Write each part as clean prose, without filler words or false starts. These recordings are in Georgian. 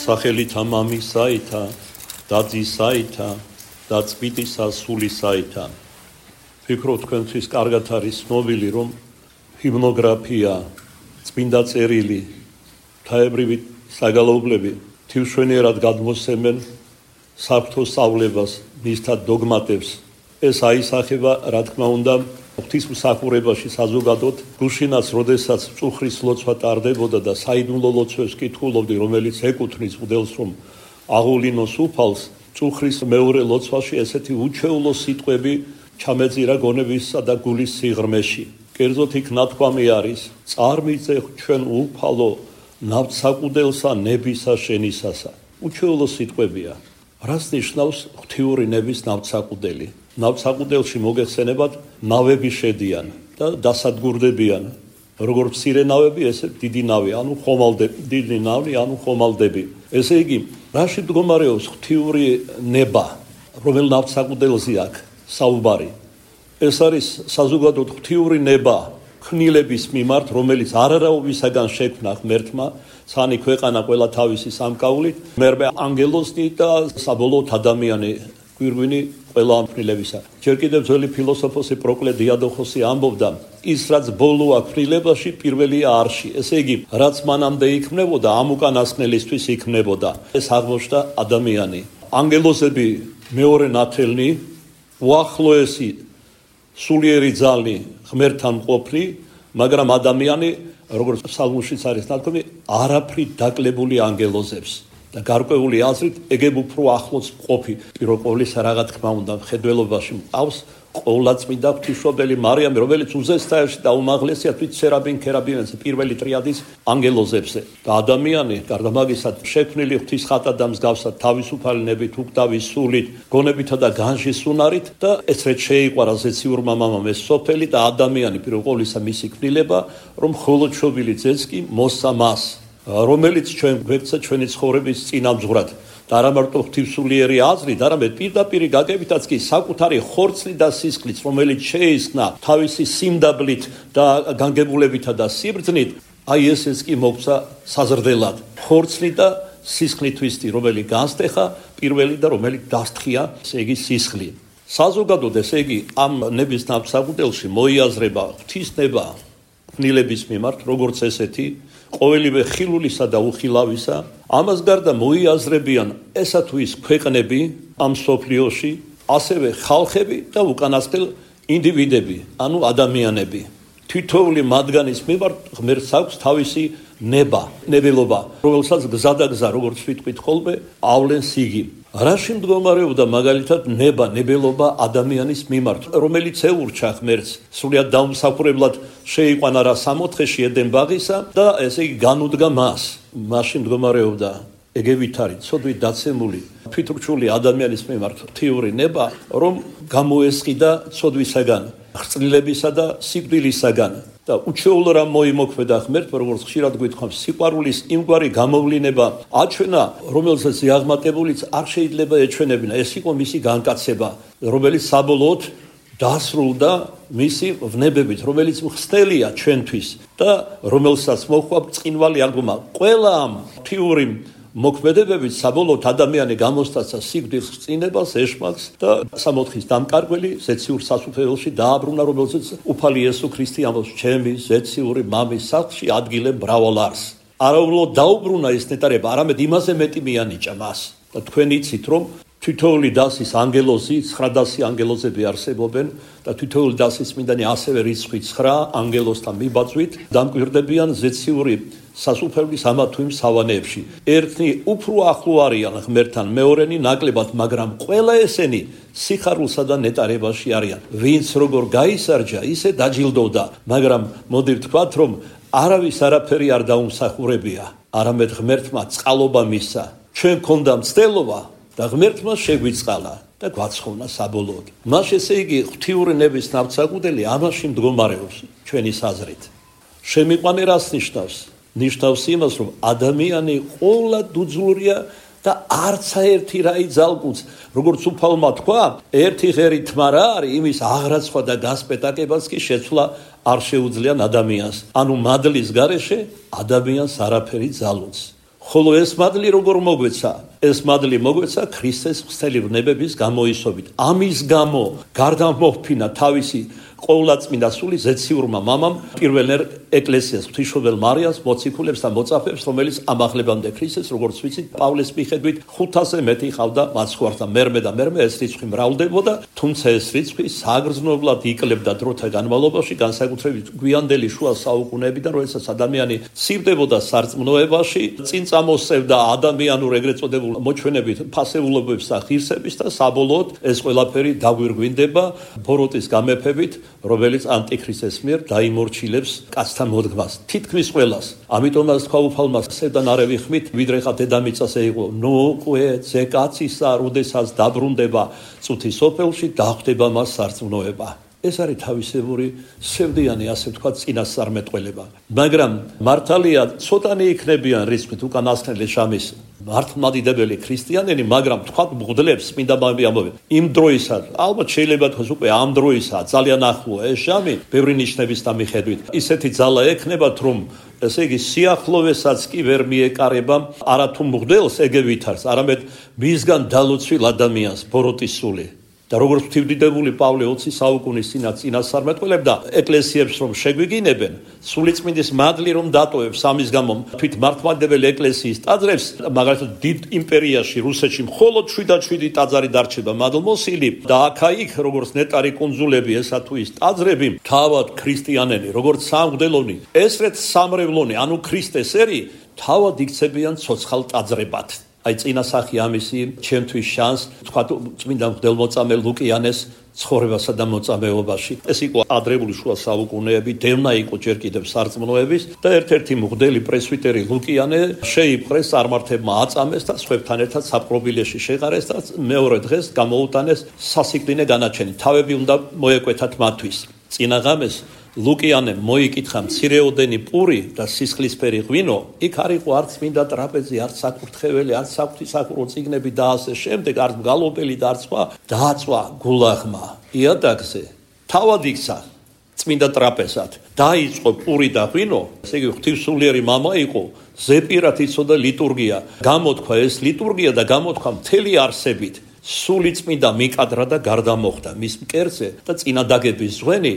სახელითა მამისაითა და ძისაითა და წმინდისა სულისაითა. ვფიქრობ თქვენთვის კარგად არის ცნობილი, რომ ჰიმნოგრაფია, წმინდა წერილი, ღვთაებრივი საგალობლები თივშვენიერად გადმოსცემენ საფრთხო სწავლებას, მისთა დოგმატებს. ეს აისახება, რა თქმა უნდა, ღვთისმსახურებაში საზოგადოდ, გუშინაც, როდესაც მწუხრის ლოცვა ტარდებოდა და საიდუმლო ლოცვებს კითხულობდი, რომელიც ეკუთვნის მღვდელს, რომ აღულინოს უფალს, მწუხრის მეორე ლოცვაში ესეთი უჩვეულო სიტყვები ჩამეძირა გონებისა და გულის სიღრმეში. კერძოდ იქ ნათქვამი არის: წარმიწე ჩვენ უფალო ნავთსაყუდელსა ნებისა შენისასა. უჩვეულო სიტყვებია. რას ნიშნავს ღვთიური ნების ნავთსაყუდელი? ნავთსაყუდელში მოგეხსენებათ, ნავები შედიან და დასადგურდებიან. როგორ მცირე ნავები, ესე დიდი ნავი, ანუ ხომალდები, დიდი ნავი, ანუ ხომალდები. ესე იგი, რაში მდგომარეობს ღვთიური ნება, რომელ ნავთსაყუდელზე აქვს საუბარი? ეს არის საზოგადოდ ღვთიური ნება ქმნილების მიმართ, რომელიც არარაობისაგან შექმნა ღმერთმა, სანი ქვეყანა ყველა თავისი სამკაულით, მერმე ანგელოზი და საბოლოოდ ადამიანი გვირგვინი ყველა ამფრილებისა. ჯერ კიდევ ძველი ფილოსოფოსი პროკლე დიადოხოსი ამბობდა, ის რაც ბოლოა ქმნილებაში, პირველია არში. ესე იგი, რაც მანამდე იქმნებოდა, ამ უკანასკნელისთვის იქმნებოდა. ეს აღმოჩნდა ადამიანი. ანგელოზები მეორე ნათელნი, უახლოესი სულიერი ძალი ღმერთთან მყოფნი, მაგრამ ადამიანი, როგორც ფსალმუშიც არის ნათქვამი, არაფრით დაკლებული ანგელოზებს. და გარკვეული აზრით ეგებ უფრო ახლოს მყოფი, პირველ ყოვლისა რა თქმა უნდა, მხედველობაში მყავს ყოვლადწმინდა ღვთისმშობელი მარიამი, რომელიც უზესტაევში და უმაღლესია თვით სერაბინ ქერაბინებზე, პირველი ტრიადის ანგელოზებზე. და ადამიანი, გარდა მაგისა, შექმნილი ღვთის ხატად და მსგავსად, თავისუფალი ნებით, უკვდავის სულით, გონებითა და განжის უნარით და ესრეთ შეიყვარა ზეციურმა მამამ ეს სოფელი და ადამიანი, პირველ ყოვლისა მისი ქმნილება, რომ მხოლოდ მშობილი ძეც კი მოსცა მას, რომელიც ჩვენ გვექცა ჩვენი ცხოვრების წინამძღვრად. და არა მარტო ღვთისმსულიერი აზრით, არამედ პირდაპირ გაგებითაც კი საკუთარი ხორცლით და სისხლით, რომელიც შეისხნა თავისი სიმდაბლით და განგებულებითა და სიბრძნით, აი ესეც კი მოგცა საზრდელად. ხორცლი და სისხლითვისტი, რომელიც განსტეხა პირველი და რომელიც დასთხია, ესე იგი სისხლი. საზოგადოდ, ესე იგი, ამ ნების ნავთსაყუდელში მოიაზრება ღვთისნება ქმნილების მიმართ, როგორც ესეთი, ყოველივე ხილულისა და უხილავისა. ამას გარდა მოიაზრებიან ესა თუ ის ქვეყნები ამ სოფლიოში, ასევე ხალხები და უკანასკნელ ინდივიდები, ანუ ადამიანები. თითოეული მათგანის მიმართ ღმერთს აქვს თავისი ნება, ნებელობა, რომელსაც გზა და გზა, როგორც ვიტყვით ხოლმე, ავლენს იგი. რაში მდგომარეობდა მაგალითად ნება, ნებელობა ადამიანის მიმართ, რომელიც ეურჩა ღმერთს, სრულიად დაუმსახურებლად შეიყვანა რა 64-ში ედენ ბაღისა და ესე იგი განუდგა მას. მაშინ მდგომარეობდა ეგევით არის ცოდვით დაცემული თვითრჩული ადამიანის მიმართ ღვთიური ნება, რომ გამოესყიდა ცოდვისაგან, ხრწლილებისა და სიკვდილისაგან და უჩვეულო რამ მოიმოქმედა ღმერთმა, როგორც ხშირად გვითხოვს, სიყვარულის იმგვარი გამოვლინება აჩვენა, რომელსაც ზიაღმატებულიც არ შეიძლება ეჩვენებინა. ეს იყო მისი განკაცება, რომელიც საბოლოოდ დასრულდა მისი ვნებებით, რომელიც მხსნელია ჩვენთვის და რომელსაც მოჰყვა ბრწყინვალე აღგომა. ყველა ამ ღვთიური მოქმედებებით საბოლოოდ ადამიანი გამოსტაცა სიკვდილს, წინებას, ეშმაკს და 64-ის დამკარგველი ზეციურ სასუფეველში დააბრუნა, რომელზეც უფალი იესო ქრისტე ამბობს, ჩემი ზეციური მამის სახლში ადგილე მრავალ არის. არა უბრალოდ დაუბრუნა ეს ნეტარება, არამედ იმაზე მეტი მიანიჭა მას. და თქვენ იცით, რომ თითოეული დასის ანგელოზი, 900 ანგელოზები არსებობენ და თითოეული დასის წმინდანი ასევე რიცხვი 9 ანგელოზთან მიბაძვით დამკვირდებიან ზეციური სასუფეველის ამა თუ იმ სავანეებში. ერთნი უფრო ახლო არიან ღმერთთან, მეორენი ნაკლებად, მაგრამ ყველა ესენი სიხარულსა და ნეტარებაში არიან. ვინც როგორ გაისარჯა, ისე დაჯილდოვდა, მაგრამ მოდი ვთქვათ, რომ არავის არაფერი არ დაუმსახურებია, არამედ ღმერთმა წყალობა მისცა. ჩვენ გქონდა მცდელობა და ღმერთმა შეგვიწყალა და გვაცხოვნა საბოლოოდ. მას ესე იგი ღვთიური ნების ნავთსაყუდელი ამაში მდგომარეობს ჩვენის აზრით. შემიყვანე რას ნიშნავს? ნიშნავს იმას, რომ ადამიანი ყოლა დუძლურია და არცა ერთი რაი ძალკუც, როგორც უფალმა თქვა, ერთი ღერი თმა რა არის, იმის აღრაცხვა და გასპეტაკებას კი შეცვლა არ შეუძლიან ადამიანს. ანუ მადლის გარეშე ადამიანს არაფერი ძალუც. ხოლო ეს მადლი როგორ მოგვეცა? ეს მადლი მოგვეცა ქრისტეს ღვთელი ვნებების გამოისობით. ამის გამო გარდა მოჰფინა თავისი ყოვლადწმინდა სული ზეციურმა მამამ პირველ ეკლესიას ღვთისმშობელ მარიას მოციქულებს და მოწაფეებს, რომელიც ამაღლებამდე ქრისტეს, როგორც ვიცით, პავლეს მიხედვით 500-ზე მეტი ყავდა მაცხვართა. მერმე ეს რიცხვი მრავლდებოდა, თუმცა ეს რიცხვი საგრძნობლად იკლებდა დროთა განმავლობაში, განსაკუთრებით გვიანდელი შუა საუკუნეებიდან, როდესაც ადამიანი ცივდებოდა სარწმუნოებაში, წინ წამოსწევდა ადამიანურ ეგრეთ წოდებულ მოჩვენებით ფასეულობებს და ღირსების და საბოლოოდ ეს ყველაფერი დაგვირგვინდება ბოროტის გამეფებით, რომელიც ანტიქრისტეს მიერ დაიმორჩილებს კაცთან მოდგმას, თითქმის ყველას. ამიტომაც თქვა უფალმა სევდან არ ევიხმით, ვიდრე ხა დედამიწას ეიღო. ნუ უკვე ძე კაცისა, როდესაც დაბრუნდება წუთის სოფელში, დახვდება მას სარწმუნოება. ეს არის თავისებური სევდიანი, ასე ვთქვათ, წინასწარმეტყველება. მაგრამ მართალია, ცოტანი იქნებიან რიცხვით უკანასკნელი შამის მართლმადიდებელი ქრისტიანები, მაგრამ თქვათ მღვდლებს წმინდა მამები ამბობენ. იმ დროისაც, ალბათ შეიძლება თქვას უკვე ამ დროისაა, ძალიან ახლოა ეს შამი, ბევრი ნიშნების მიხედვით. ისეთი ძალა ექნებათ, რომ ესე იგი სიახლოვესაც კი ვერ მიეკარება არათუ მღვდელს ეგ ვითარს, არამედ მისგან დალოცვილ ადამიანს ბოროტის სული. და როგორც ღვთივდიდებული პავლე 20 საუკუნის წინასწარმეტყველებდა ეკლესიებს რომ შეგვიგინებენ, სულიწმინდის მადლი რომ დატოვებს, ამის გამო თვით მართლმადიდებელი ეკლესიის ტაძრებს, მაგალითად დიდ იმპერიაში რუსეთში მხოლოდ 7 ტაძარი დარჩება მადლმოსილი და აქა-იქ როგორც ნეტარი კუნძულები ესა თუ ის ტაძრები, თავად ქრისტიანები, როგორც სამღვდელონი, ესრეთ სამრევლონი, ანუ ქრისტესერი, თავად იქცებიან ცოცხალ ტაძრებად. აი წინასახი ამისი ჩემთვის შანს თქვა წმინდა მღვდელმოწამე ლუკიანეს ცხოვრებასა და მოწამეობაში. ეს იყო ადრეული შუა საუკუნეები, დევნა იყო ჯერ კიდევ სარწმუნოების და ერთ-ერთი მღვდელი პრესვიტერი ლუკიანე შეიპყრეს, წარმართებმა აწამეს და სხვებთან ერთად საპყრობილეში შეყარეს და მეორე დღეს გამოუტანეს სასიკვდინე განაჩენი. თავები უნდა მოეკვეთათ მათთვის. წინა ღამეს ლუკიანემ მოიკითხა მცირეოდენი პური და სისხლისფერი ღვინო, იქ არ იყო არც მინდა ტრაპეზი, არც საკურთხეველი, არც საღვთისმსახურო წიგნები და ასე შემდეგ, არც მგალობელი და არც სხვა, დააწვა გულაღმა იადაგზე, თავად იქცა წმინდა ტრაპეზად, დაიწყო პური და ღვინო, ესე იგი ღვთისმსულიერი მამა იყო, ზეპირად იცოდა ლიტურგია, გამოთქვა ეს ლიტურგია და გამოთქვა მთელი არსებით. სული წმინდა მიკადრა და გარდამოხდა მის მკერდზე და წინადაგების ზღვენი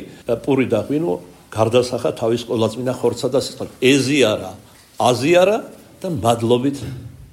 პური და ღვინო გარდასახა თავის ყოვლადწმინდა ხორცსა და სისხლს. ეზიარა, აზიარა და მადლობით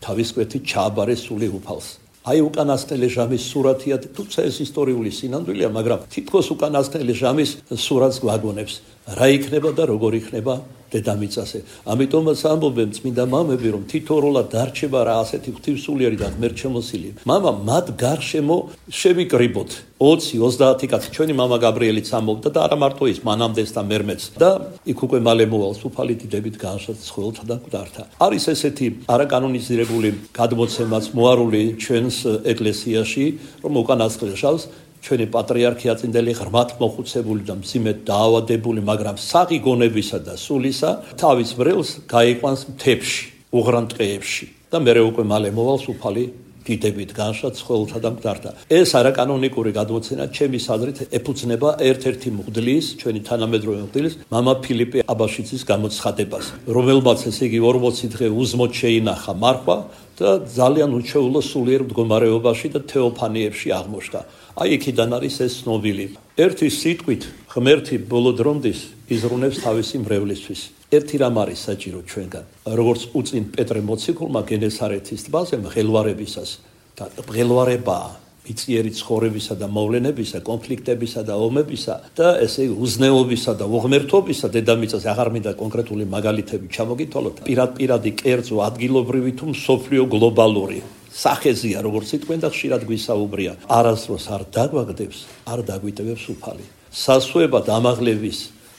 თავის კვეთით ჩააბარეს სული უფალს. აი უკანასკნელი ჟამის სურათია, თუმცა ეს ისტორიული სინამდვილეა, მაგრამ თითქოს უკანასკნელი ჟამის სურათს გვაგონებს. რა იქნება და როგორ იქნება დედამიწაზე. ამიტომაც ამბობენ წმინდა მამები, რომ თითოეულად დარჩება რა ასეთი ღვთისმსულიერი და ღმერთშემოსილი. მამა მათ გარშემო შევიკრიბოთ 20-30 კაცი. ჩვენი მამა გაბრიელიც ამბობდა და არა მარტო ის, მანამდეც და მერმეც. და იქ უკვე მალე მოვალს უფალი დიდებით განშად ცხოველთა და მკვდართა. არის ესეთი არაკანონიზირებული გადმოცემაც მოარული ჩვენს ეკლესიაში, რომ უკანასკნელ ჟამს ჩვენი პატრიარქი აწინდელი ღრმად მოხუცებული და მძიმედ დაავადებული, მაგრამ საღი გონებისა და სულისა თავის ბრელს გაიყვანს მთებში, უღრან ტყეებში და მერე უკვე მალე მოვალს უფალი დიდებით განშად ცხოველთა და მკვდართა. ეს არაკანონიკური გადმოცემა ჩემის აზრით ეფუძნება ერთ-ერთი მღვდლის, ჩვენი თანამედროვე მღვდლის, მამა ფილიპე აბაშიძის გამოცხადებას, რომელმაც ესე იგი 40 დღე узმოდ შეინახა მარხვა და ძალიან უჩვეულო სულიერ მდგომარეობაში და თეოფანიებში აღმოჩნდა. აი იქიდან არის ეს ცნობილი. ერთი სიტყვით ღმერთი ბოლო დრომდის იზრუნებს თავისი მრევლისთვის. ერთი რამ არის საჭირო ჩვენგან, როგორც უწინ პეტრე მოციქულმა გენესარეთის ტბაზე მღელვარებისას და მღელვარებაა მიწიერი ცხოვრებისა და მოვლენებისა, კონფლიქტებისა და ომებისა და ესე უზნეობისა და უღმერთობისა დედამიწაზე. აღარ მინდა კონკრეტული მაგალითები ჩამოგითვალოთ, პირადი კერძო, ადგილობრივი თუ მსოფლიო გლობალური სახეზია, როგორც სიტყვენ და ხშირად გვისაუბრია. არასდროს არ დაგვაგდებს, არ დაგვიტევებს უფალი. სასუებად ამაღლების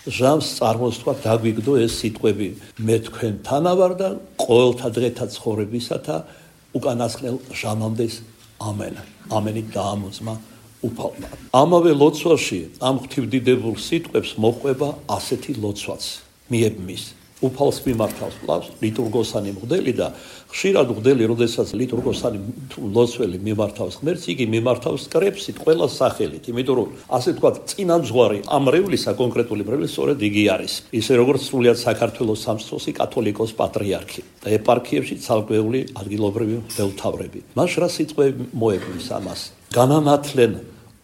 ჟამს წარმოსთქვა დაგვიგდო ეს სიტყვები. მე თქვენთან ვარ და ყოველთა დღეთა ცხოვრებისათა უკანასკნელ ჟამამდე ამენ. ამენი დაამოწმა უფალმა. ამავე ლოცვაში ამ ღვთივდიდებულ სიტყვებს მოყვება ასეთი ლოცვაც მიებმის. უფალს მიმართავს კლავს ლიტურგოსანი მღვდელი და ხშირად მღვდელი, როდესაც ლიტურგოსანი ლოცველი მიმართავს ღმერთს, იგი მიმართავს კრებსით, ყველა სახელით, იმიტომ რომ ასე თქვა წინამძღვარი ამ რევლისა კონკრეტული რევლის სწორედ იგი არის. ისე როგორც სრულიად საქართველოს სამსწროსი კათოლიკოს პატრიარქი და ეპარქიებში ცალკეული ადგილობრივი მღვდელმთავრები. მას რა სიტყვები მოებნის ამას? განანათლენ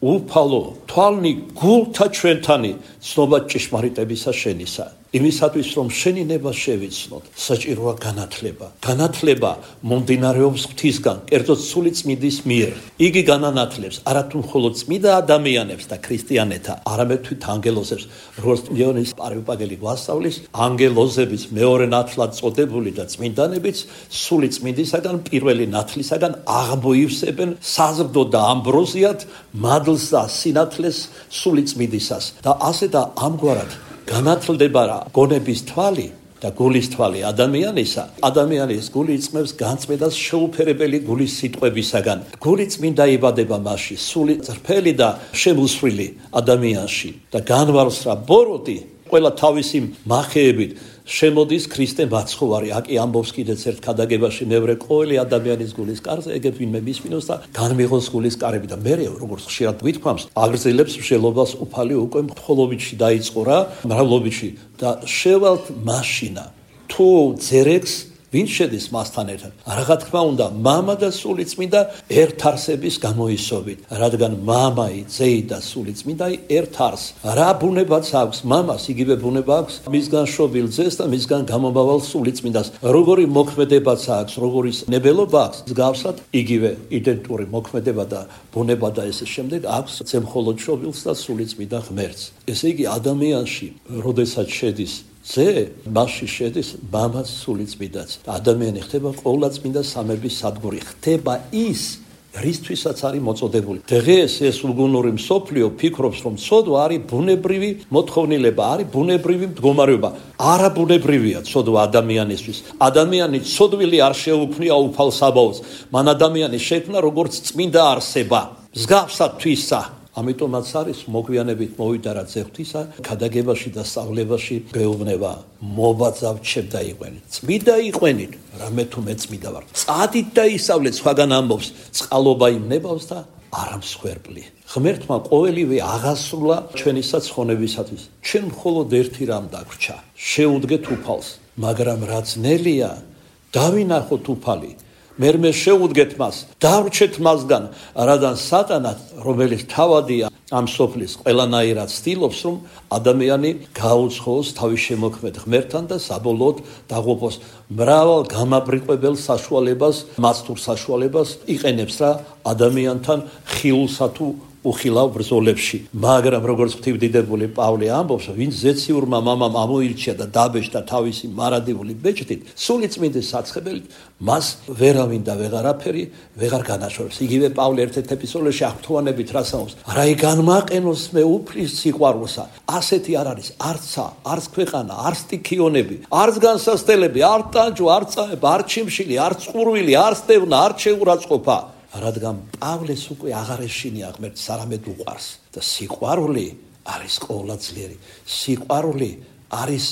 უფალო თვალნი გულთა ჩვენთანი ცნობა ჭიშმარიტებისა შენისა. იმისათვის რომ შენი ნება შევიცნოთ, საჭიროა განათლება. განათლება მომდინარეობს ღვთისგან, კერძოდ სული წმინდის მიერ. იგი განანათლებს არათუ მხოლოდ წმინდა ადამიანებს და ქრისტიანეთა, არამედ თვით ანგელოზებს, როგორც ლეონის პარვიპაგელი გვასწავლის, ანგელოზებიც მეორე ნათლად წოდებული და წმინდანებიც სული წმინდისაგან, პირველი ნათლისაგან აღმოივსებენ საზრდო და ამბროზიად მადლს და სინათლეს სული წმინდისას და ასე და ამგვარად განათლდება რა გონების თვალი და გულის თვალი ადამიანისა. ადამიანის გული იწმევს განწმენდას შეუფერებელი გულის სიტყვებისაგან. გული წმინდა იბადება მასში, სული წრფელი და შემოსვლილი ადამიანში და განვალს რა ბოროტი ყველა თავისი მახეებით შემოდის ქრისტე მაცხოვარი. აკი ამბობს კიდეც ერთ ქადაგებაში მევრე ყოველი ადამიანის გულის კარზე ეგებ ვინმე მისმინოს და განმიღოს გულის კარები და მე როგორც ხშირად გვითქვამს აგრძელებს მსჯელობას უფალი უკვე მხოლობიჩი დაიწყო რა მრავლობიჩი და შევალთ მაშინა თუ ძერეგს ვინ შედის მასთან ერთად? რა თქმა უნდა, მამა და სული წმინდა ერთ არსების გამოისობით, რადგან მამაი, ძეი და სული წმინდაი ერთ არს. რა ბუნებაც აქვს მამას, იგივე ბუნება აქვს მისგან შობილ ძეს და მისგან გამომავალ სული წმინდას. როგორი მოქმედებაც აქვს, როგორი ნებელობა აქვს, მსგავსად იგივე იდენტური მოქმედება და ბუნება და ესე შემდეგ აქვს ზემხოლოდ შობილს და სული წმინდა ღმერთს. ესე იგი ადამიანში, როდესაც შედის ზე მასში შედის მამაც სული წმინდაც. ადამიანი ხდება ყოვლადწმინდა სამების სადგური, ხდება ის რისთვისაც არის მოწოდებული. დღეს ეს უგუნური მსოფლიო ფიქრობს, რომ ცოდვა არის ბუნებრივი მოთხოვნილება, არის ბუნებრივი მდგომარეობა. არა ბუნებრივია ცოდვა ადამიანისთვის. ადამიანი ცოდვილი არ შეუქმნია უფალ საბაოდს. მან ადამიანი შექმნა როგორც წმინდა არსება. მსგავსად თვისა. ამიტომაც არის მოგვიანებით მოვიდა რა ძეღვთისა ქადაგებაში და სწავლებაში გეუბნება მობაძავ ჩემ დაიყვენით წმინდა იყვენით რამე თუ მე წმინდა ვარ წადით და ისავლეთ სხვაგან ამბობს წყალობა იმნებავს და არა მსხვერპლი ღმერთმა ყოველივე აღასრულა ჩვენი საცხონებისათვის ჩვენ მხოლოდ ერთი რამ დაგვრჩა შეუდგეთ უფალს მაგრამ რა ძნელია დავინახოთ უფალი მერმე შეუდგეთ მას, დავრჩეთ მასგან, რადგან სატანა, რომელიც თავადია ამ სოფლის ყველანაირად ცდილობს, რომ ადამიანი გაუცხოს თავის შემოქმედ ღმერთთან და საბოლოოდ დაღუპოს მრავალ გამაბრიყვებელ საშუალებას, მასტურ საშუალებას იყენებს რა ადამიანთან ხილულსა თუ უხილავ ბრძოლებში. მაგრამ როგორც ღვთივდიდებული პავლე ამბობს, ვინც ზეციურმა მამამ ამოირჩია და დაბეჭდა თავისი მარადიული ბეჭდით, სული წმინდის საცხებელით, მას ვერავინ და ვეღარაფერი ვეღარ განაშორებს. იგივე პავლე ერთ-ერთ ეპისტოლეში აღთუანებით რას ამბობს? რა იგანმაყენოს მე უფლის სიყვარულსა. ასეთი არ არის არცა, არც ქვეყანა, არც ტიქიონები, არც განსასწელები, არც ტანჯვა, არც წამება, არც ჩიმშილი, არც ყურვილი, არც დევნა, არც შეურაცხყოფა. რადგან პავლეს უკვე აღარ ეშინია ღმერთს, არამედ უყვარს და სიყვარული არის ყოვლადწლიერი. სიყვარული არის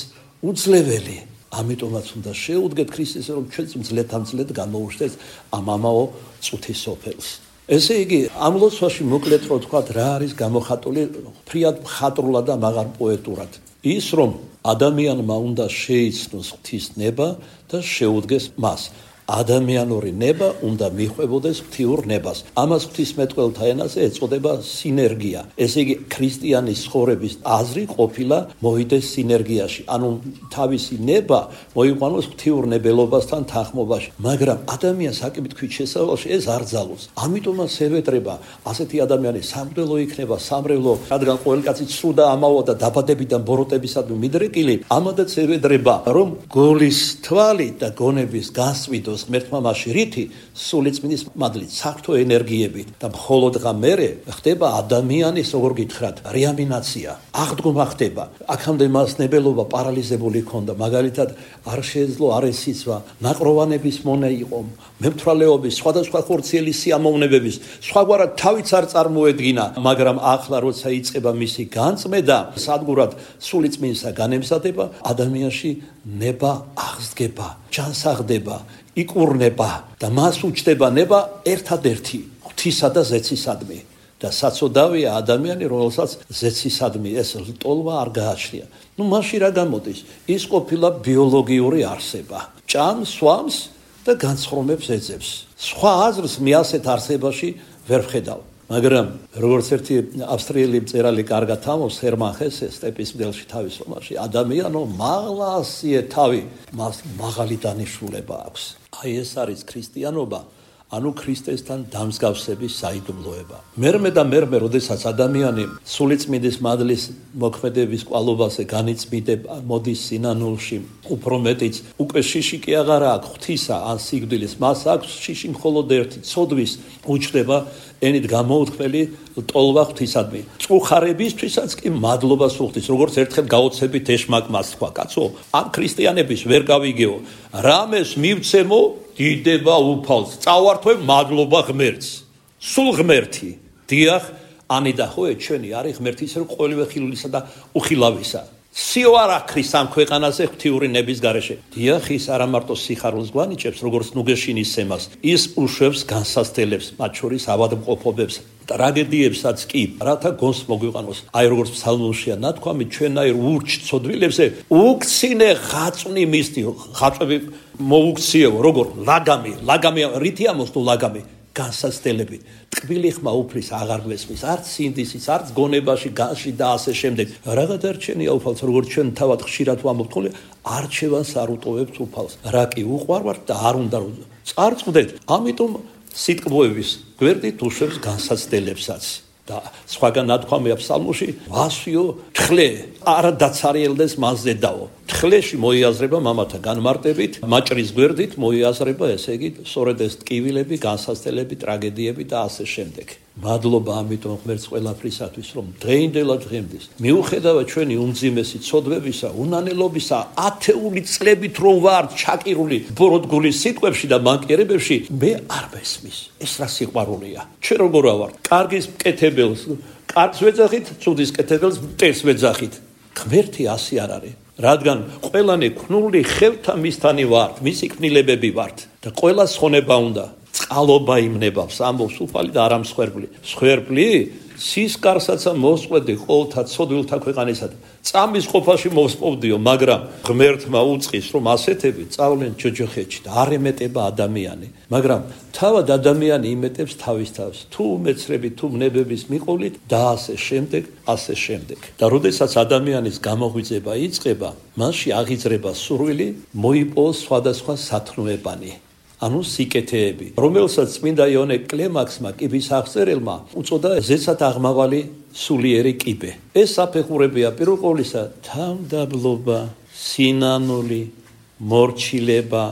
უძლეველი. ამიტომაც უნდა შეუდგეთ ქრისტეს, რომ ჩვენც მძლეთ გამოუშვეთ ამ ამაო წუთის სოფელს. ესე იგი, ამ ლოცვაში მოკლედ რო თქვათ, რა არის გამოხატული ფრიად მხატვრულად და მაღარ პოეტურად. ის რომ ადამიანმა უნდა შეიცნოს ღვთის ნება და შეუდგეს მას. ადამიანური ნება უნდა მიხვებოდეს ღვთიურ ნებას. ამას ღვთისმეტყველთა ენაზე ეწოდება სინერგია. ესე იგი, ქრისტიანის ცხოვრების აზრი ყოფილა მოვიდეს სინერგიაში. ანუ თავისი ნება მოიყვანოს ღვთიურ ნებელობასთან თანხმობაში. მაგრამ ადამიანს აკიბითქვით შესავალში ეს არ ძალოს. ამიტომაც ევედრება ასეთი ადამიანი სამღვდელო იქნება, სამრევლო, რადგან ყოველი კაცი ცრუდა ამაოა და დაბადებიდან ბოროტებისადმი მიდრეკილი, ამადაც ევედრება, რომ გოლის თვალი და გონების გასწვიდო გაუწევს ღმერთმა მასში რითი სულიწმინდის მადლით საერთო ენერგიებით და მხოლოდ მერე ხდება ადამიანის როგორ გითხრათ რეანიმაცია აღდგომა ხდება აქამდე მას ნებელობა პარალიზებული ჰქონდა მაგალითად არ შეეძლო არ ესიცვა ნაყროვანების მონა იყო მემთვრალეობის სხვადასხვა ხორციელი სიამოვნებების სხვაგვარად თავიც არ წარმოედგინა მაგრამ ახლა როცა იწყება მისი განწმენდა სადგურად სულიწმინდისა განემზადება ადამიანში ნება აღსდგება ჯანსაღდება იკურნება და მას უჩდება ნება ერთადერთი ღვთისა და ზეცისადმი და საწოდავია ადამიანი რომელსაც ზეცისადმი ეს ლტოლვა არ გააჩნია მაშინ რა გამოდის ის ყოფილა ბიოლოგიური არსება ჭამს სვამს და განცხრომებს ეძებს სხვა აზრს მე ასეთ არსებაში ვერ ვხედავ მაგრამ როგორც ერთი ავსტრიელი მწერალი კარგად ამბობს ჰერმან ჰესე სტეპის მგელში თავის რომანში ადამიანო მაღლასიე თავი მას მაღალი დანიშნულება აქვს აი ეს არის ქრისტიანობა ანუ ქრისტესთან დამსგავსების საიდუმლოება მერმე და მერმე როდესაც ადამიანი სულიწმინდის მადლის მოქმედების კვალობაზე განიწმინდება მოდის სინანულში უფრო მეტიც უკვე შიში კი აღარა აქვს ღვთისა ან სიკვდილის მას აქვს შიში მხოლოდ ერთი ცოდვის უჩნდება ენით გამოუთქმელი ლტოლვა ღვთისადმი წუხარებისთვისაც კი მადლობას უხდის როგორც ერთხელ გაოცებით ეშმაკმას თქვა კაცო ამ ქრისტიანების ვერ გავიგეო რამეს მივცემო დიდება უფალს წავართვე მადლობა ღმერთს სულ ღმერთი დიახ ანიდა ხო ჩვენი არის ღმერთის რო ყოველივე ხილულისა და უხილავისა სიო არ აქრის ამ ქვეყანაზე ღვთიური ნების გარეშე დიახ ის არა მარტო სიხარულს გვანიჭებს როგორც ნუგეშინის სემას ის უშვებს განსასწელებს მათ შორის ავადმყოფობებს ტრაგედიებსაც კი რათა გონს მოგვიყანოს აი როგორც ფსალმოშია ნათქვამი ჩვენაირ ურჩ ცოდვილებზე უქცინე ხაწვნი მისთი ხაწვები მოუქციეო როგორ ლაგამი რითი ამოსდო ლაგამი განსასწელები ტკბილი ხმა უფლის აღარ გვესმის არც სინდისის არც გონებაში განში და ასე შემდეგ რაღა დარჩენია უფალს როგორც ჩვენ თავად ხშირად ვამბობთ ხოლმე არჩევანს არ უტოვებთ უფალს რა კი უყვარვართ და არ უნდა წარწყვდეთ ამიტომ სიტყვების გვერდით უშვებს განსაცდელებსაც და სხვაგან ნათქვამია ფსალმოში ვასიო თხლე არ დაცარიელდეს მასზე დაო თხლეში მოიაზრება მამათა განმარტებით მაჭრის გვერდით მოიაზრება ესე იგი სწორედ ეს ტკივილები განსაცდელები ტრაგედიები და ასე შემდეგ მადლობა ამიტომ ღმერთს ყველაფრისათვის რომ დღეინდელად დღემდის მიუხედავად ჩვენი უმძიმესი ცოდვებისა უნანელობისა ათეული წლებით რომ ვარ ჩაკირული ბოროტგული სიტყვებში და მანკიერებებში მე არ მესმის ეს რა სიყვარულია ჩვენ როგორ ვარ კარგის მკეთებელს კარგს ვეძახით ცუდის მკეთებელს მტერს ვეძახით ღმერთი ასე არ არის რადგან ყველანი ქნული ხელთა მისთანი ვართ მისი ქნილებები ვართ და ყველა ხონება უნდა წყალობა იმნებავს ამბობს უფალი და არა მსხვერპლი მსხვერპლი სისკარსაც მოსყვედი ყოველთა ცოდვილთა ქვეყანისა წამის ყოფაში მოსპოვდიო მაგრამ ღმერთმა უწყის რომ ასეთები წავლენ ჯოჯოხეთში და არ ემეტება ადამიანი მაგრამ თავად ადამიანი იმეტებს თავის თავს თუ მეცრები თუ მნებების მიყოლით და ასე შემდეგ და როდესაც ადამიანის გამოღვიძება იწყება მასში აღიძრება სურვილი მოიპოვოს სხვადასხვა სათნოებანი ანუ სიკეთეები რომელსაც წმინდა იონე კლემაქსმა კიბის აღწერელმა უწოდა ზეცად აღმავალი სულიერი კიბე ეს საფეხურებია პირველ ყოვლისა თავდაბლობა სინანული მორჩილება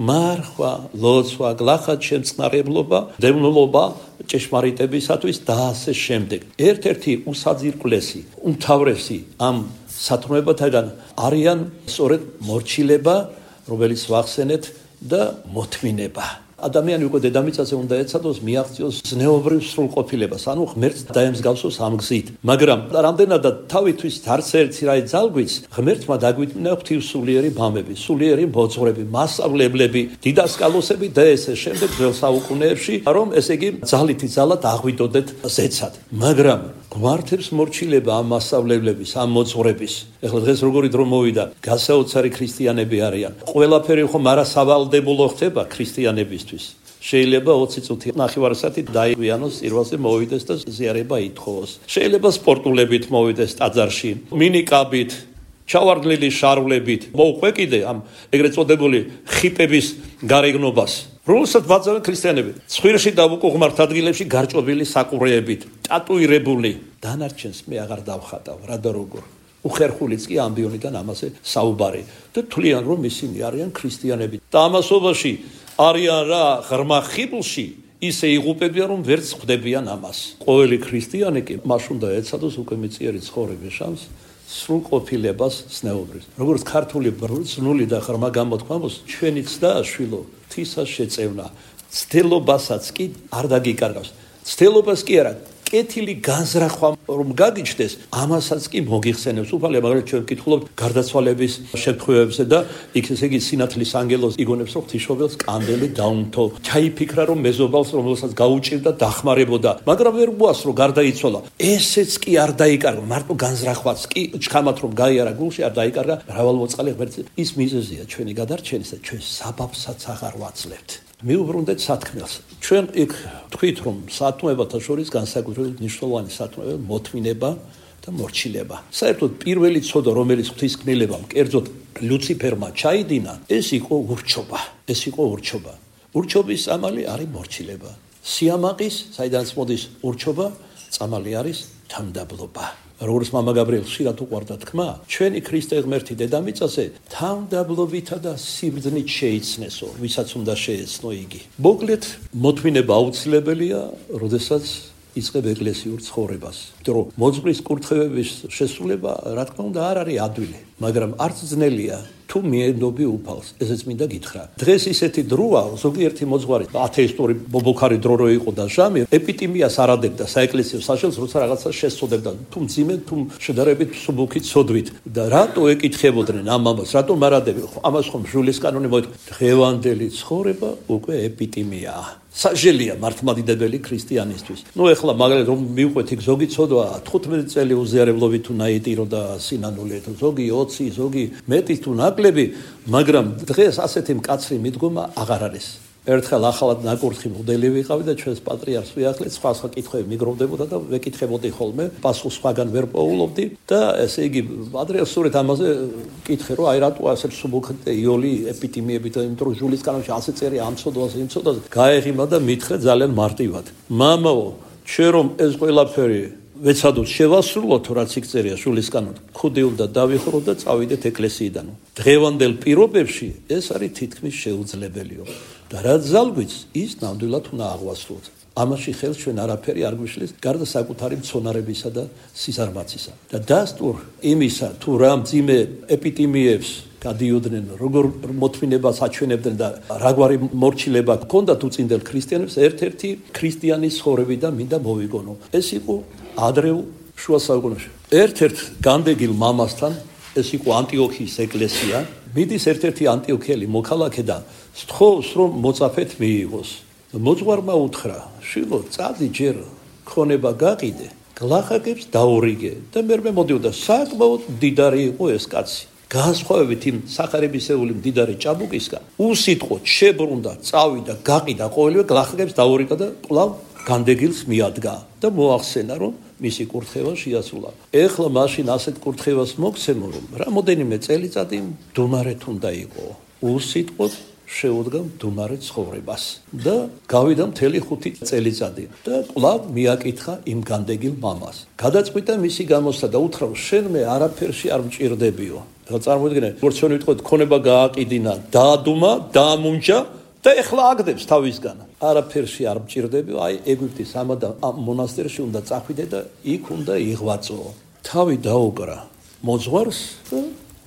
მარხვა ლოცვა გლახად შემწყნარებლობა დევნილობა ჭეშმარიტებისათვის და ასე შემდეგ ერთ-ერთი უსაძირკვლესი უმთავრესი ამ სათნოებათაგან არიან სწორედ მორჩილება რომელიც ვახსენეთ და მოთმინება ადამიანი უკვე დედამიწაზე უნდა ეცადოს მიაღწიოს ზნეობრივ სრულყოფილებას ანუ ღმერთს დაემსგავსოს ამ გზით მაგრამ რამდენადაც თავისთვის არც ერთი რაი ძალგვიც ღმერთმა დაგვიტმინა ღვთივსულიერი მამები სულიერი მოძღვრები მასწავლებლები დიდასკალოსები და ესე შემდეგ ძველ საუკუნეებში რომ ესე იგი ძალითი ძალად აღვიდოდეთ ზეცად მაგრამ გვართებს მორჩილება ამ მასწავლებლების ამ მოძღვრების ეხლა დღეს როგორი დრო მოვიდა გასაოცარი ქრისტიანები არიან ყველაფერი ხომ არასავალდებულო ხდება ქრისტიანებისთვის შეიძლება 20 წუთი ნახევარსაათი დაიგვიანოს სირვალზე მოვიდეს და ზიარება ითხოვოს შეიძლება სპორტულებით მოვიდეს ტაძარში მინიკაბით ჩავარდლილი შარვლებით მოუყვე კიდე ამ ეგრეთ წოდებული ხიპების გარეგნობას რომელსაც ბაძავენ ქრისტიანები ცხვირში და უკუღმართ ადგილებში გარჭობილი საყურეებით ტატუირებული დანარჩენს მე აღარ დავხატავ რა და როგორ უხერხულიც კი ამბიონიდან ამაზე საუბარი და თვლიან რომ ისინი არიან ქრისტიანები და ამასობაში არიან რა ღრმა ხიბლში, ისე იღუპებიან, რომ ვერც ხვდებიან ამას. ყოველი ქრისტიანი კი მას უნდა ეცადოს უკვე მიწიერი ცხოვრების შანსს სრულყოფილებას ზნეობრივ. როგორც ქართული ბრძნული და ღრმა გამოთქმამოს, ჩვენი ცდა შვილო, ღვთისას შეწევნა. ცდელობასაც კი არ დაგიკარგავს. ცდელობას კი არა, კეთილი განზრახვა რომ გაგიჩნდეს, ამასაც კი მოგიხსენებს. უფალია, მაგრამ ჩვენ ვკითხულობთ გარდაცვალების შემთხვევებზე და იქ ესე იგი სინათლის ანგელოზ იგონებს, რომ ღვთისმშობელს კანდელი დაუნთო. ჩაიფიქრა, რომ მეზობელს, რომელსაც გაუჭირდა, დახმარებოდა, მაგრამ ვერ მოასწრო, გარდაიცვალა. ესეც კი არ დაიკარგა, მარტო განზრახვაც კი ჩქამათ რომ გაიარა გულში, არ დაიკარგა. მრავალმოწყალე ღმერთი ის მიზეზია ჩვენი გადარჩენის და ჩვენ საბაბსაც აღარ ვაძლევთ. მიუბრუნდეთ სათქმელს. ჩვენ იქ თქვით, რომ სათქმეებათა შორის განსაკუთრებით მნიშვნელოვანი სათქმეა მოთმინება და მორჩილება. საერთოდ პირველი ცოდა, რომელიც ღვთისკნელებამ, კერძოდ ლუციფერმა ჩაიდინა, ეს იყო ურჩობა. ურჩობის წამალი არის მორჩილება. სიამაყის, საიდანაც მოდის ურჩობა, წამალი არის თამდაბლობა. როგორც მამა გაბრიელ ხშირად უყვარდა თქმა, ჩვენი ქრისტე ღმერთი დედამიწაზე თამდაბლობითა და სიბრძნით შეიცნესო, ვისაც უნდა შეეცნო იგი. მოკლედ, მოთმინება აუცილებელია, როდესაც იწყებ ეკლესიურ ცხოვრებას. იმიტომ რომ მოძღვრის კურთხევების შესრულება, რა თქმა უნდა, არ არის ადვილი, მაგრამ არც ძნელია. თუ მიენდობი უფალს, ესეც მინდა გითხრა. დღეს ისეთი დროა, ზოგიერთი მოძღვარი ათეისტური ბობოქარი დრო რო იყო და ჟამი, ეპიტიმიას არ ადებდა საეკლესიო საშელს, როცა რაღაცა შესწოდებდა, თუ მძიმე, თუ შედარებით მსუბუქი ცოდვით. და რატო ეკითხებოდნენ ამ ამას, რატო არ ადები? ამას ხომ ჟულის კანონი მოითხოვა. დღევანდელი ცხოვრება უკვე ეპიტიმიაა. საჟელია მართლმადიდებელი ქრისტიანისთვის. ეხლა მაგალითად რომ მივყვეთ იქ ზოგი ცოდვა 15 წელი უზიარებლობით თუ ნაიტირო და სინანული, ზოგი 20, ზოგი მეტი თუ ნაკლები, მაგრამ დღეს ასეთი მკაცრი მიდგომა აღარ არის. ერთხელ ახალად ნაკურთხი მოდელი ვიყავი და ჩვენს პატრიარქს ვიახლეთ, სხვა კითხვები მიგროვდებოდა და ვეკითხებოდი ხოლმე, პასუხს სხვაგან ვერ პოულობდი და ესე იგი პატრიარქს სწორედ ამაზე კითხე, რომ აი რატო ასე მსუბუქი იოლი ეპიტიმიებით, იმიტომ რომ ჟულის კანონში ასე წერია ამ ცოდვაზე, იმ ცოდვაზე, გაეღიმა და მითხრე ძალიან მარტივად. მამაო, ჩვენ რომ ეს ყველაფერი ვეცადოთ შევასრულოთ, რაც იქ წერია ჟულის კანონში, ხუდი უნდა დავიხურო და წავიდეთ ეკლესიიდან. დღევანდელ პირობებში ეს არის თითქმის შეუძლებელიო. და რაც ზალგვიც, ის ნამდვილად უნდა აღვასრულოთ. ამაში ხელს ჩვენ არაფერი არ გვიშლის, გარდა საკუთარი მცონარებისა და სიზარმაცისა. და დასტურ იმისა, თუ რა მძიმე ეპიტიმიებს გადიოდნენ, როგორ მოთმინებას აჩვენებდნენ და რაგვარი მორჩილება ჰქონდათ უწინდელ ქრისტიანებს, ერთ-ერთი ქრისტიანის ცხოვრებიდან მინდა მოვიგონო. ეს იყო ადრეულ შუა საუკუნეებში. ერთ-ერთ განდეგილ მამასთან, ეს იყო ანტიოქიის ეკლესია, მიდის ერთ-ერთი ანტიოქიელი მოქალაქე და სთხოვს, რომ მოწაფეთ მიიღოს. მოძღვარმა უთხრა, შვილო, წადი ჯერ ქონება გაყიდე, გლახაკებს დაურიგე და მერმე მოდიოდა. საკმაოდ მდიდარი იყო ეს კაცი. განსხვავებით იმ სახარებისეული მდიდარი ჭაბუკისგან, უსიტყვოდ შებრუნდა, წავიდა, გაყიდა ყოველივე, გლახაკებს დაურიგა და კვლავ განდეგილს მიადგა და მოახსენა, რომ მისი კურთხევა შეასრულა. ეხლა მაშინ ასეთ კურთხევას მოგცემო, რომ რამოდენიმე წელიწადი მდუმარეთ უნდა იყო. უსიტყვოდ შეუდგა მდუმარე ცხოვრებას და გავიდა მთელი 5 წელიწადი და კვლავ მიაკითხა იმ განდეგილ მამას. გადაწყვიტა მისი გამოსვლა და უთხრა, შენ მე არაფერში არ მჭირდებიო. ეხლა წარმოიდგინე, როგორც ჩვენ ვიტყოთ, ქონება გააყიდინა, დაადუმა, დაამუნჯა და ეხლა აგდებს თავისგან. არაფერში არ მჭირდებიო, აი ეგვიპტის ამ მონასტერში უნდა წახვიდე და იქ უნდა იღვაწო. თავი დაუკრა მოძღვარს და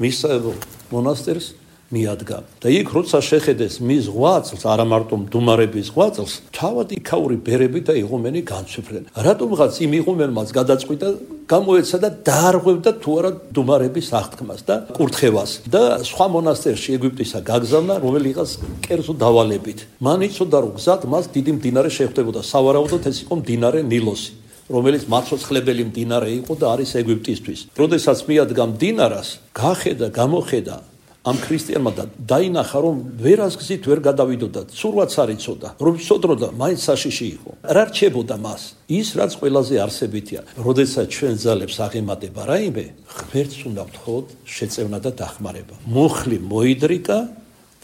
მისწავლებელ მონასტერს მიადგა. და იქ როცა შეხედეს მის ღვაწლს, არა მარტო მდუმარების ღვაწლს, თავად იქაური ბერები და იღუმენი განცვიფრდნენ. რატომღაც იმ იღუმენმაც გადაწყვიტა, გამოეცა და დაარღვევდა თუ არა მდუმარების აღთქმას და კურთხევას და სხვა მონასტერში ეგვიპტისა გაგზავნა, რომელიღაც კერძო დავალებით. მან იცოდა, რომ გზად მას დიდი მდინარე შეხვდებოდა, სავარაუდოდ ეს იყო მდინარე ნილოსი, რომელიც მაცოცხლებელი მდინარე იყო და არის ეგვიპტისთვის. როდესაც მიადგა მდინარას, გახედა, გამოხედა ამ ქრისტიანმა და დაინახა, რომ ვერას გზით ვერ გადავიდოდა, ცურვაც არ იცოდა, რომ სოდროდა, მაინც საშიში იყო. რა რჩებოდა მას? ის, რაც ყველაზე არსებითია. როდესაც ჩვენ ძალებს აღემატება რაიმე, ღმერთს უნდა ვთხოვოთ შეწევნა და დახმარება. მუხლი მოიდრიკა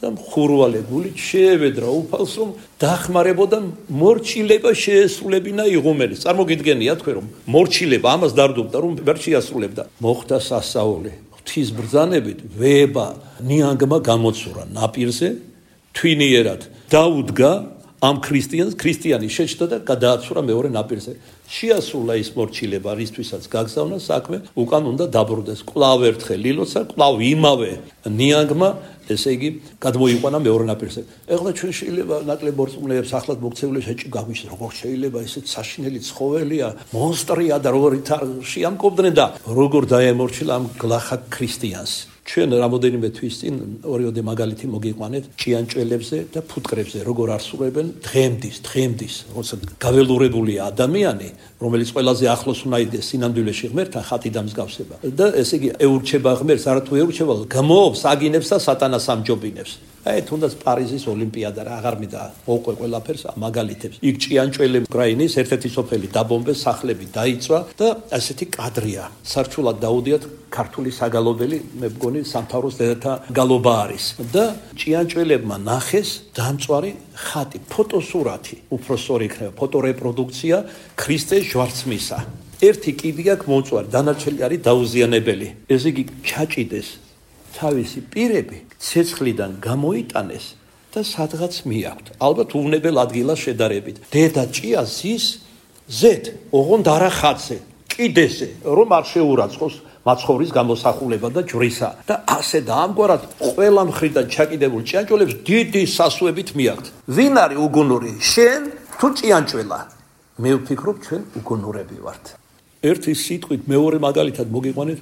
და მხურვალე გულით შეევედრა უფალს, რომ დახმარებოდა მორჩილება შეესრულებინა იღუმენის. წარმოგიდგენია თქვენ, რომ მორჩილება ამას დარდობდა, რომ ვერ შეასრულებდა. მოხდა სასწაული. ღვთის ბრძანებით ვეება ნიანგმა გამოცურა ნაპირზე, თვინიერად დაუდგა ამ ქრისტიანი შეჭდა და გადააცურა მეორე ნაპირზე. შეასრულა ის მორჩილება, რისთვისაც გაგზავნა საქმე, უკან უნდა დაბრუნდეს. კვლავ ერთხელ ლილოცა, კვლავ იმავე ნიანგმა, ესე იგი, გადმოიყვანა მეორე ნაპირზე. ეხლა ჩვენ შეიძლება ნაკლებ მორწმუნეებს ახლად მოქცეულებს ეჭი გაგვიჩნდეს, როგორ შეიძლება ესეთ საშინელი ცხოველია, მონსტრია და როგორ შეამკობდნენ და როგორ დაემორჩილა ამ გლახაკ ქრისტიანს. ჩვენ რამოდენიმე თვის წინ ორიოდე მაგალითი მოგიყვანეთ ჭიანჭველებზე და ფუტკრებზე, როგორ არსურებენ დღემდის, როცა გაველურებულია ადამიანი, რომელიც ყველაზე ახლოს უნდა იდეს სინამდვილეში ღმერთთან, ხატი და მსგავსება. და ესე იგი ეურჩება ღმერთს, არათუ ეურჩება, გმობს, აგინებს და სატანას ამჯობინებს. თუნდაც პარიზის ოლიმპიადა რა აღარ მინდა მოყვე ყველაფერს მაგალითებს. იქ ჭიანჭველე უკრაინის ერთ-ერთი სოფელი დაბომბეს, სახლები დაიწვა და ასეთი კადრია. სარჩულად დაუდიათ ქართული საგალობელი, მე მგონი სამთავროს დედათა გალობა არის და ჭიანჭველებმა ნახეს დამწვარი ხატი, ფოტოსურათი, უფრო სწორი იქნება, ფოტორეპროდუქცია ქრისტეს ჯვარცმისა. ერთი კიდი აქვს მოწვარი, დანარჩენი არის დაუზიანებელი. ეს იგი ჩაჭიდეს თავისი პირები ცეცხლიდან გამოიტანეს და სადღაც მიაქვთ. ალბათ უვნებელ ადგილას შედარებით. დედა ჭია ზის ზეთ, ოღონდ არა ხატზე, კიდეზე, რომ არ შეურაცხოს მაცხოვრის გამოსახულება და ჯვრისა. და ასე და ამგვარად ყველა მხრიდან ჩაკიდებულ ჭიანჭველებს დიდი სასუებით მიაქვთ. ვინ არის უგუნური? შენ თუ ჭიანჭველა? მე ვფიქრობ, ჩვენ უგუნურები ვართ. ერთი სიტყვით მეორე მაგალითად მოგიყვანეთ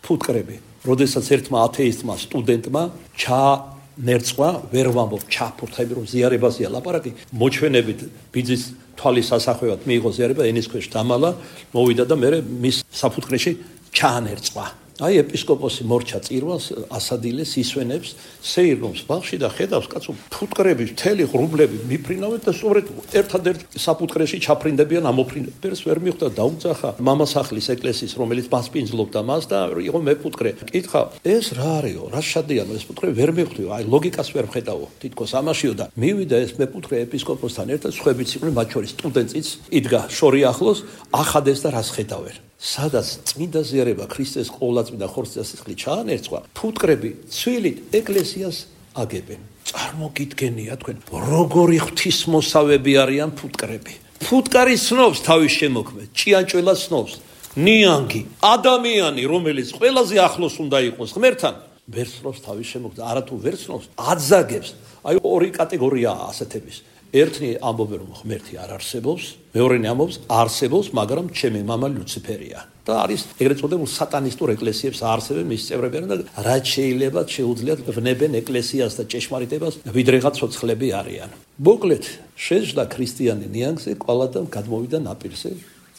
ფუტკრები. როდესაც ერთმა ათეისტმა სტუდენტმა ჩანერწვა, ვერ ვამბობ ჩაფურთები, რომ ზიარებაზეა ლაპარაკი, მოჩვენებით ბიძის თვალის ასახვევად მიიღო ზიარება, ენის ქვეშ დამალა, მოვიდა და მე მის საფუტკრეში ჩაანერწვა. აი ეპისკოპოსი მორჩა წირვას, ასადილეს, ისვენებს, სეირნობს ბაღში და ხედავს კაცო ფუტკრები, მთელი ღრუბლები მიფრინავენ და სწორედ ერთადერთ საფუტკრეში ჩაფრინდებიან, ამოფრინებს ვერ მიხვდა, დაუძახა მამასახლის ეკლესიის, რომელიც მასპინძლობდა მას და იყო მე ფუტკრე. კითხა, ეს რა არისო, რა შადიანო ეს ფუტკრე ვერ მიხვდიო, აი ლოგიკას ვერ ვხედავო, თითქოს ამაშიო და მივიდა ეს მე ფუტკრე ეპისკოპოსთან ერთად, სხვებიც იყვნენ, მათ შორის სტუდენტიც იდგა შორი ახლოს, ახადეს და რას ხედავენ. სადაც წმინდა ზიარება ქრისტეს ყოვლადწმინდა ხორცსასხლი ჩაანერწვა, ფუტკრები ცვილით ეკლესიას აგებენ. წარმოგიდგენია თქვენ, როგორი ღვთისმოსავები არიან ფუტკრები. ფუტკარი ცნობს თავის შემოქმედს, ჭიანჭველა ცნობს, ნიანგი, ადამიანი, რომელიც ყველაზე ახლოს უნდა იყოს ღმერთთან, ვერ ცნობს თავის შემოქმედს, არათუ ვერ ცნობს, აძაგებს. აი ორი კატეგორიაა ასეთების. ერთნი ამბობენ რომ ღმერთი არ არსებობს, მეორენი ამბობს არსებობს, მაგრამ ჩემი მამა ლუციფერია. და არის ეგრეთ წოდებულ სატანისტურ ეკლესიებს აარსებენ მის წევრები და რაც შეიძლება შეუძლიათ ვნებენ ეკლესიას და ჭეშმარიტებას, ვიდრეღაც ცოცხლები არიან. მოკლედ, შეжда ქრისტიანი ნიანგზე კვალადამ გადმოვიდა ნაპირზე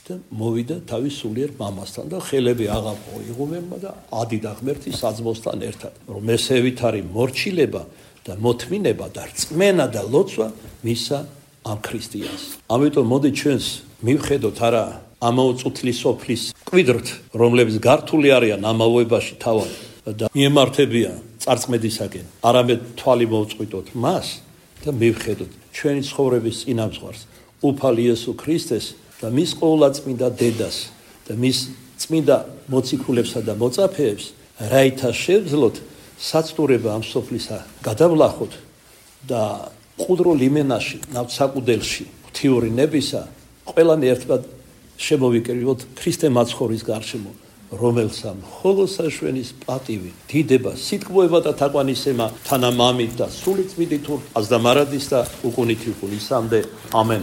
და მოვიდა თავის სულიერ მამასთან და ხელები აღამო იღუმენმა და ადიდა ღმერთი საძმოსთან ერთად, რომ ესევით არის მორჩილება და მოთმინება და რწმენა და ლოცვა მისა ამ ქრისტიანს. ამიტომ მოდი ჩვენს მივხედოთ არა ამოუწუთლი სოფლის კვიდრთ, რომლებიც გართული არიან ამავოებაში თავად და მიემართებიან წარწმედისაკენ, არამედ თვალი მოვწყვიტოთ მას და მივხედოთ ჩვენი ცხოვრების წინამძღვარს, უფალი იესო ქრისტეს და მის ყოვლადწმინდა დედას და მის წმინდა მოციქულებსა და მოწაფეებს, რაითა შევძლოთ საცდურება ამ სოფლისა გადავლახოთ და ყუდრულ იმენაში, ნავთსაყუდელში, ღვთიური ნებისა, ყველანი ერთად შემოვიკრიბოთ ქრისტე მაცხოვრის გარშემო, რომელსა მხოლოდ საშვენის პატივი, დიდება, სიტყვოება და თაყვანისცემა თანამამით და სული წმინდით აზდამარადის და უკუნითი უკუნისამდე. ამენ.